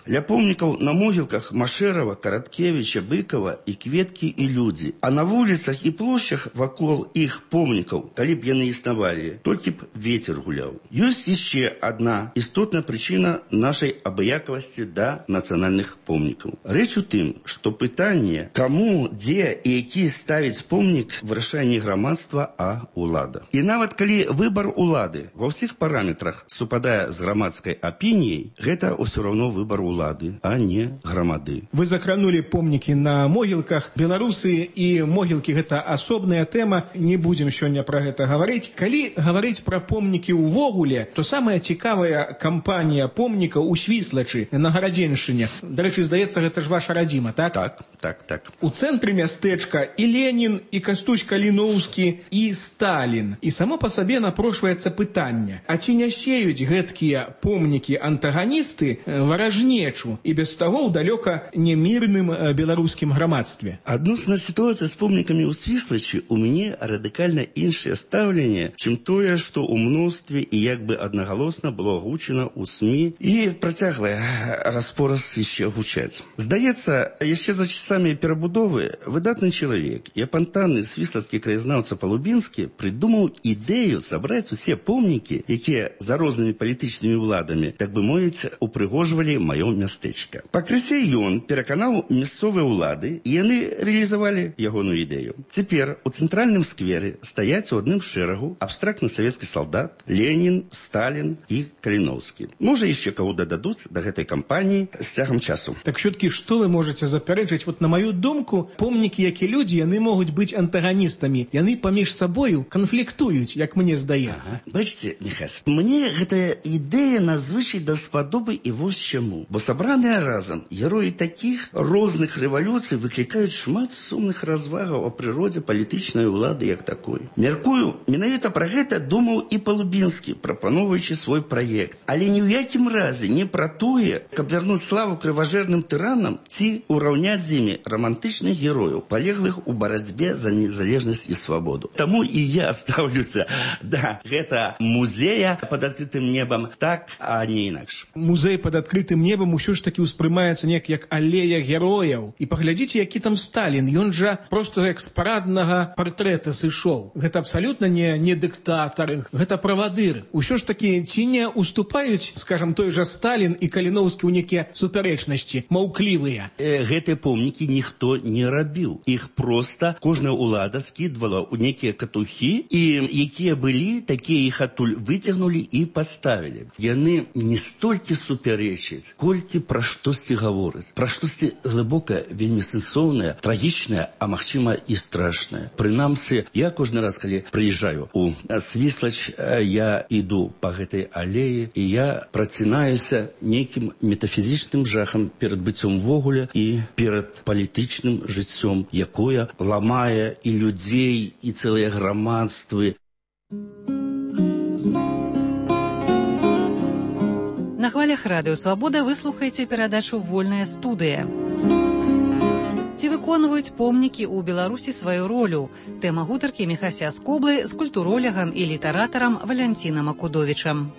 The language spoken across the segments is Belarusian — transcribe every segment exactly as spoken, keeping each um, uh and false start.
Ля помнікаў на могілках Машэрава, Караткевіча, Быкова і кветкі і людзі. А на вуліцах і плошчах вакол іх помнікаў, калі б яны існавалі, толькі б вецер гуляў. Ёсць яшчэ адна істотная прычына нашай абыякавасці да нацыянальных помнікаў. Рэч у тым, што пытанне, каму, дзе і які ставіць помнік, вырашае не грамадства, а ўлада. І нават калі выбар улады ва ўсіх параметрах супадае з грамадскай апініяй, гэта ўсё роўно выбар улады, а не грамады. Вы закранули помнікі на могілках. Беларусы і могілкі гэта асобная тэма, не будзем сёння пра гэта гаварыць. Калі гаварыць пра помнікі ўвогуле, то самая цікавая кампанія помнікаў у Свіслачы на Гарадзеншчыне. Дарэчы, здаецца, гэта ж ваша радзіма, так? Так, так, так. У цэнтры мястэчка і Ленін, і Кастусь Каліноўскі, і Сталін. І само па сабе напрошваецца пытанне, а ці не сеюць гэткія помнікі антаганісты варажнечу і без таго ў далёка немірным беларускім грамадстве? Адносна сітуацыі з помнікамі ў Свіслачы у мяне радыкальна іншае стаўленне, чым тое, што ў мностве і як бы аднагалосна было агучана ў СМІ і працяглая распораз яшчэ гучаць. Здаецца, яшчэ за часамі перабудовы выдатны чалавек і апантанны свіслацкі краязнаўца Палубінскі прыдумаў ідэю сабраць усе помнікі, якія за рознымі палітычнымі ўладамі, так бы мовіць, упрыгожвалі маё мястэчка. Пакрысе ён пераканаў мясцовыя ўлады, і яны рэалізавалі ягоную ідэю. Цяпер у цэнтральным скверы стаяць у адным шэрагу абстрактны савецкі салдат, Ленін, Сталін і Каліноўскі. Можа, яшчэ каго дададуць да гэтай кампаніі з цягам часу. Так все-таки, што вы можаце запярэчыць? Вот на маю думку, помнікі, як і людзі, яны могуць быць антаганістамі. Яны паміж сабою канфліктуюць, як мне здаецца. Ага. Бачыце, Міхась, мне гэтая ідэя надзвычай даспадобы і вось чаму. Бо сабраныя разам героі такіх розных рэвалюцый выклікаюць шмат сумных развагаў о прыродзе палітычнай улады як такой. Мяркую, менавіта пра гэта думаў і Палубінскі, прапановуючы свой праект. Але ні ў якім разе не пра тое, каб вярнуць славу крыважэрным тыранам ці ўраўняць з імі романтычных герояў, палеглых у барацьбе за незалежнасць і свабоду. Таму і я ставлюся да гэта музея пад адкрытым небам так, а не інакш. Музей пад адкрытым небам усё ж таки ўспрымаецца неяк як алея герояў. І паглядзіце, які там Сталін. Ён жа проста як з параднага партрэта сышоў. Гэта абсалютна не, не дыктатар, гэта правадыр. Усё ж таки ці не уступаюць, скажам, той жа Сталін і Каліноўскі ў некія супярэчнасці, маўклівыя? Э, гэтыя помнікі ніхто не рабіў. Іх проста кожная ўлада скідвала ў некія катухі, і якія былі, такія іх адтуль выцягнулі і паставілі. Яны не столькі супярэчаць, колькі пра штосьці гавораць. Пра штосьці глыбока, вельмі сэнсоўнае, трагічнае, а магчыма і страшнае. Прынамсі, я кожны раз, калі прыязджаю у Свіслач, я іду па гэтай алеі, і я працінаюся нейкім метафізічным жахам перад быццём вогуле і перад палітычным жыццём, якое ламае і людзей, і цэлыя грамадствы. На хвалях Радыё Свабода вы слухаеце перадачу «Вольная студыя». Ці выконваюць помнікі ў Беларусі сваю ролю? Тэма гутаркі Міхася Скоблы з культуролягам і літаратарам Валянцінам Акудовічам.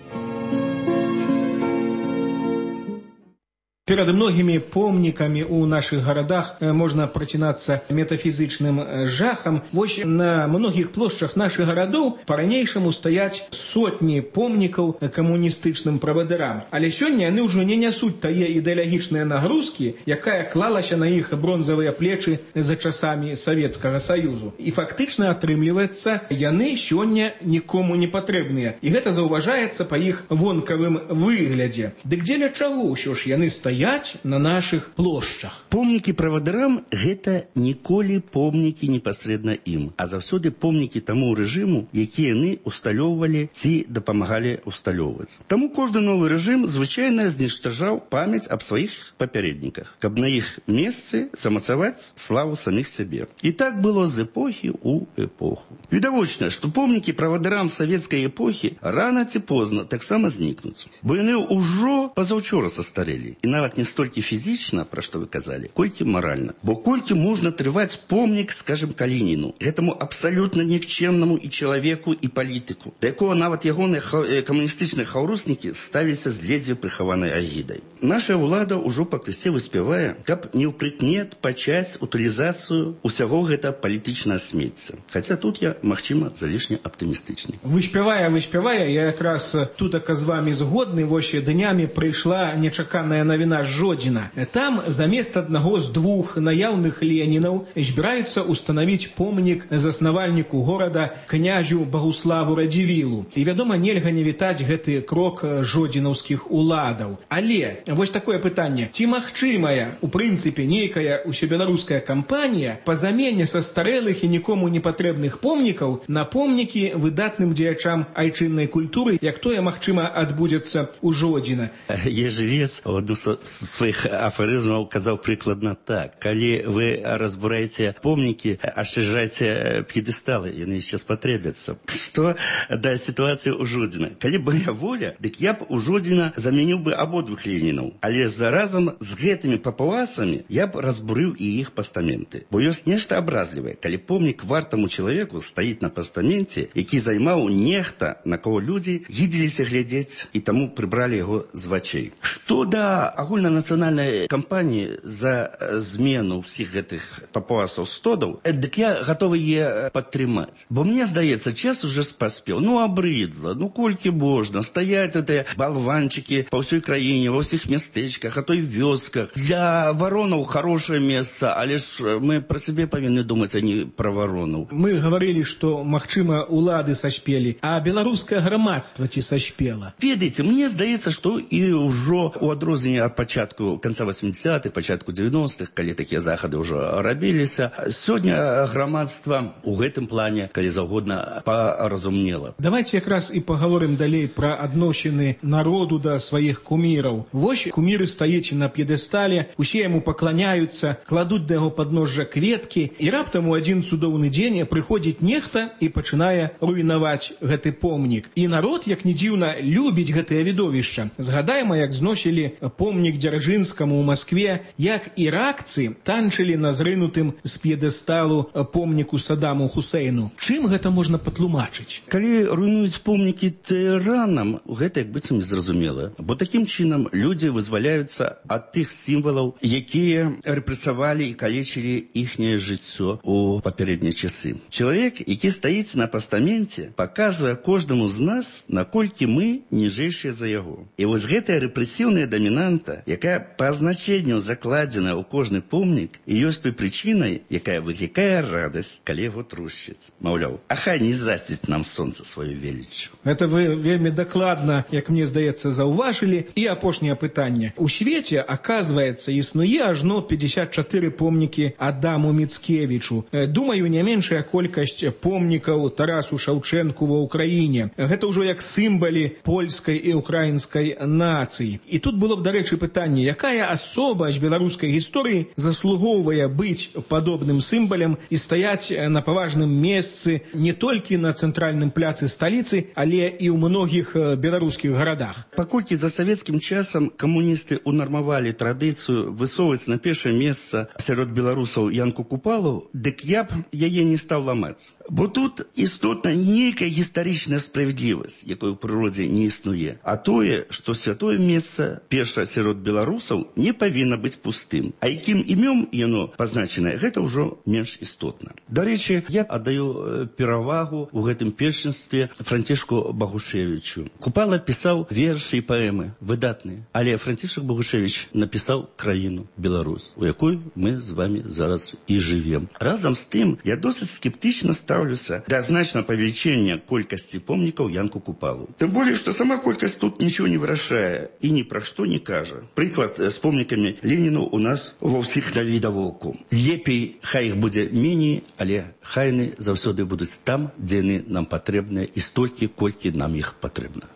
Перад многімі помнікамі ў нашых гарадах можна працінацца метафізічным жахам. Вось на многіх плошчах нашых гарадоў па-ранейшаму стаяць сотні помнікаў камуністычным правадырам. Але сёння яны ўжо не нясуць тае ідэалагічныя нагрузкі, якая клалася на іх бронзавыя плечы за часамі Савецкага Саюзу. І фактычна атрымліваецца, яны сёння нікому не патрэбныя. І гэта заўважаецца па іх вонкавым выглядзе. Дык дзеля чаго ўсё ж яны стаяць на нашых плошчах? Помнікі правадырам – гэта ніколі помнікі непасрэдна ім, а заўсёды помнікі таму рэжыму, які яны усталёўвалі ці дапамагалі усталёўваць. Таму кожны новы рэжым звычайна зніштажаў памяць аб сваіх папярэдніках, каб на іх месцы замацаваць славу саміх сябе. І так было з эпохі ў эпоху. Відавочна, што помнікі правадырам савецкай эпохі рана ці позна таксама знікнуць, бо яны ўжо пазаўчора састарэлі, і нават нават не столькі фізічна, пра што вы казалі, колькі маральна. Бо колькі можна трываць помнік, скажем, Калініну, гэтаму абсалютна нікчэмнаму і чалавеку, і палітыку, да якога нават ягоныя камуністычныя хаўруснікі ставіліся з ледзьве прыхаванай агідай. Наша ўлада ўжо пакрысе выспявае, каб не ў прыкмет пачаць утылізацыю ўсяго гэта палітычнага смецця. Хаця тут я, магчыма, залішне аптымістычны. Выспявае, выспявае, я якраз тут з вами згодны, вось днямі прыйшла нечаканая навіна з Жодзіна. Там замест аднаго з двух наяўных Ленінаў збіраюцца устанавіць помнік заснавальніку горада князю Багуславу Радзівілу. І, вядома, нельга не вітаць гэты крок жодзінаўскіх уладаў. Але вось такое пытанне. Ці магчымая, у прынцыпе, нейкая усебеларуская кампанія па замене са старэлых і нікому не патрэбных помнікаў на помнікі выдатным дзеячам айчыннай культуры, як тое, магчыма, адбудзецца ў Жодзіна? Ежевец у адну з сваіх афарызмаў казаў прыкладна так. Калі вы разбураеце помнікі, ашчажайце п'едэсталы, яны яшчэ спатрэбяцца. Што да сітуацыі ў Жодзіна? Калі б моя воля, дык я б у Жодзіна замяніў бы абодвух Ленінаў. Але заразам з гэтымі папуасамі я б разбурыў і іх пастаменты. Бо ёсць нешта абразлівае, калі помнік вартаму чалавеку стаіць на пастаменце, які займаў нехта, на кого людзі гідзіліся глядзець і таму прыбралі яго з вачэй. Што да агульнанацыянальнай кампаніі за змену ўсіх гэтых папуасаў стодаў, дык я гатовы е падтрымаць. Бо мне здаецца, час уже паспеў. Ну, абрыдла, ну колькі можна стаяць гэтыя балванчыкі па ўсёй краіне, ва ўсіх мястэчках, а то і вёсках. Для варонаў хорошае месца, але ж мы пра сябе павінны думаць, а не пра варонаў. Мы гаварылі, што, магчыма, улады сашпелі, а беларускае грамадства ці сашпела? Ведаеце, мне здаецца, што і ўжо у адрозненне ад пачатку канца восьмідзесятых, пачатку дзевяностых, калі такія захады ўжо рабіліся, сёння грамадства ў гэтым плане, калі заўгодна, паразумнела. Давайте якраз і паговорым далей пра адносіны народу да сваіх куміраў. Вось куміры стаіць на п'едэстале, усе яму пакланяюцца, кладуць да яго падножжа кветкі, і раптам у адзін цудоўны дзень прыходзіць нехта і пачынае руйнаваць гэты помнік. І народ, як ні дзіўна, любіць гэтае відовішча. Згадайма, як зносілі помнік Дзяржынскаму ў Маскве, як іракцы танчылі на зрынутым з п'едэсталу помніку Садаму Хусейну. Чым гэта можна патлумачыць? Калі руйнуюць помнікі тыранам, гэта як быццам незразумела. Бо такім чынам людзі вызваляюцца ад тых сімвалаў, якія рэпрэсавалі і калечылі іхняе жыццё у папярэднія часы. Чалавек, які стаіць на пастаменце, паказвае кожнаму з нас, наколькі мы ніжэйшыя за яго. І вось гэтая рэпрэсіўная дамінанта, якая па азначэнню закладзена ў кожны помнік, і ёсць той прычынай, якая выклікае радасць, калі яго трушчыць. Маўляў, а хай не засціць нам сонца сваю веліччу. Гэта вы вельмі дакладна, як мне здаецца, заўважылі. І апошняе пытанне. У свеце, аказваецца, існуе ажно пятьдесят чатыры помнікі Адаму Міцкевічу. Думаю, не меншая колькасць помнікаў Тарасу Шаўчэнку ва ўкраіне. Гэта ўжо як сімвалы польскай і украінскай нацыі. І тут было б, дарэчы, пытанне, якая асоба з беларускай гісторыі заслугоўвае быць падобным сімвалем і стаяць на паважным месцы не толькі на цэнтральным пляцы сталіцы, але і ў многіх беларускіх гарадах. Паколькі за савецкім часам камуністы унармавалі традыцыю высоўваць на першае месца сярод беларусаў Янку Купалу, дык я б яе не стаў ламаць. Бо тут істотна нейкая гістарычная справядлівасць, якой у прыродзе не існуе, а тое, што святое месца, перша сярод беларусаў, не павінна быць пустым. А якім імём яно пазначанае, гэта ўжо менш істотна. Дарэчы, я аддаю перавагу ў гэтым першынстве Францішку Багушевічу. Купала пісаў вершы і паэмы выдатныя, але Францішак Багушевіч напісаў краіну Беларусь, у якой мы з вами зараз і жывем. Разам з тым, я досыць скептычна ставлюся да значного павелічэння колькасці помнікаў Янку Купалу. Тым болей, што сама колькасць тут нічого не вырашае і ні пра што не кажа. Прыклад з помнікамі Леніну у нас ва ўсіх навідавоку. Лепей, хай іх будзе меней, але хай яны заўсёды будуць там, дзе яны нам патрэбныя і столькі, колькі нам іх патрэбна.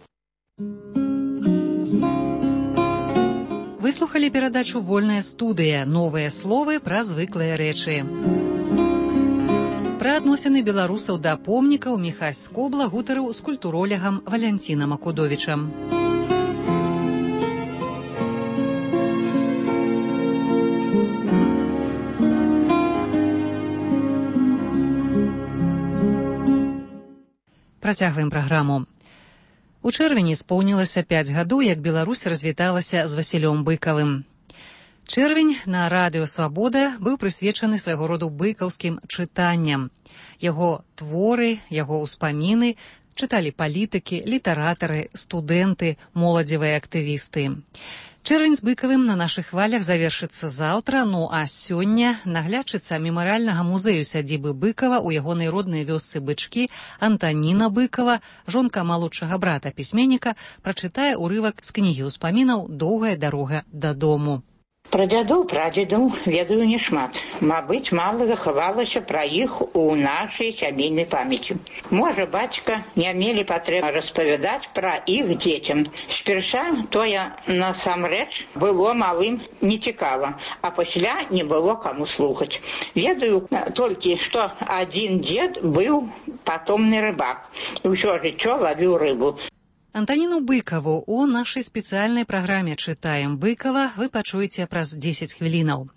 Выслухалі перадачу «Вольная студыя». Новыя словы пра звыклыя рэчы. Пра адносіны беларусаў да помнікаў Міхась Скобла гутарыў з культуролегам Валянцінам Акудовічам. Працягваем праграму. У чэрвені споўнілася пяць гадоў, як Беларусь развіталася з Васілём Быкавым. Чэрвень на радыё «Свабода» быў прысвечаны свайго роду быкаўскім чытанням. Яго творы, яго ўспаміны чыталі палітыкі, літаратары, студэнты, моладзевыя актывісты. Чэрвень з Быкавым на нашых хвалях завершыцца заўтра, ну а сёння наглядчыца мемарыяльнага музею сядзібы Быкава ў ягонай роднай вёсцы Бычкі Антаніна Быкава, жонка малодшага брата пісьменніка, прачытае ўрывак з кнігі ўспамінаў «Доўгая дарога дадому». Пра дзядоў, прадзедаў ведаю няшмат. Мабыць, мала захавалася пра іх у нашай сямейнай памяці. Можа, бацька не мелі патрэбы распавядаць пра іх дзецям. Спярша тое насамрэч было малым нецікава, а пасля не было каму слухаць. Ведаю толькі, што адзін дзед быў патомны рыбак і ўсё жыццё лавіў рыбу. Антаніну Быкаву у нашай спецыяльнай праграме «Чытаем Быкава» вы пачуеце праз дзесяць хвілінаў.